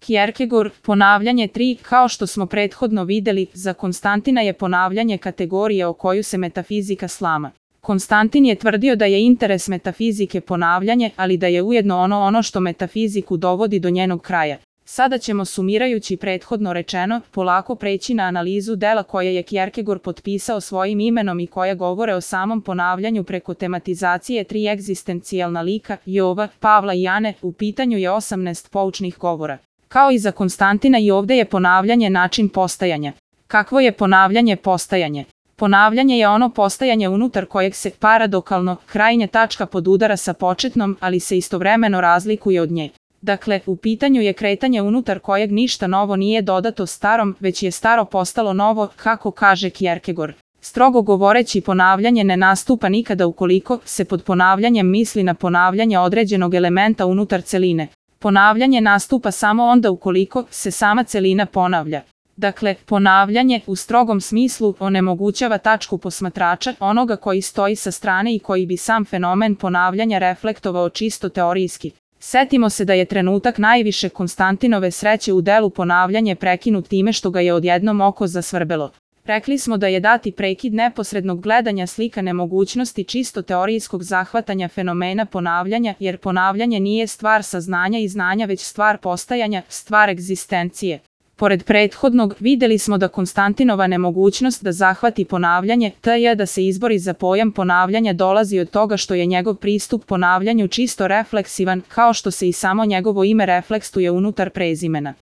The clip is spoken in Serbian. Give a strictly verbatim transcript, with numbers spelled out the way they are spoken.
Kierkegaard, ponavljanje tri. Kao što smo prethodno videli, za Konstantina je ponavljanje kategorija o koju se metafizika slama. Konstantin je tvrdio da je interes metafizike ponavljanje, ali da je ujedno ono ono što metafiziku dovodi do njenog kraja. Sada ćemo, sumirajući prethodno rečeno, polako preći na analizu dela koje je Kierkegaard potpisao svojim imenom i koja govore o samom ponavljanju preko tematizacije tri egzistencijalna lika, Jova, Pavla i Ane. U pitanju je osamnaest poučnih govora. Kao i za Konstantina, i ovde je ponavljanje način postajanja. Kakvo je ponavljanje postajanje? Ponavljanje je ono postajanje unutar kojeg se, paradokalno, krajnja tačka podudara sa početnom, ali se istovremeno razlikuje od nje. Dakle, u pitanju je kretanje unutar kojeg ništa novo nije dodato starom, već je staro postalo novo, kako kaže Kierkegaard. Strogo govoreći, ponavljanje ne nastupa nikada ukoliko se pod ponavljanjem misli na ponavljanje određenog elementa unutar celine. Ponavljanje nastupa samo onda ukoliko se sama celina ponavlja. Dakle, ponavljanje u strogom smislu onemogućava tačku posmatrača, onoga koji stoji sa strane i koji bi sam fenomen ponavljanja reflektovao čisto teorijski. Setimo se da je trenutak najviše Konstantinove sreće u delu ponavljanje prekinut time što ga je odjednom oko zasvrbelo. Rekli smo da je dati prekid neposrednog gledanja slika nemogućnosti čisto teorijskog zahvatanja fenomena ponavljanja, jer ponavljanje nije stvar saznanja i znanja već stvar postajanja, stvar egzistencije. Pored prethodnog, videli smo da Konstantinova nemogućnost da zahvati ponavljanje, to je da se izbori za pojam ponavljanja, dolazi od toga što je njegov pristup ponavljanju čisto refleksivan, kao što se i samo njegovo ime refleksuje unutar prezimena.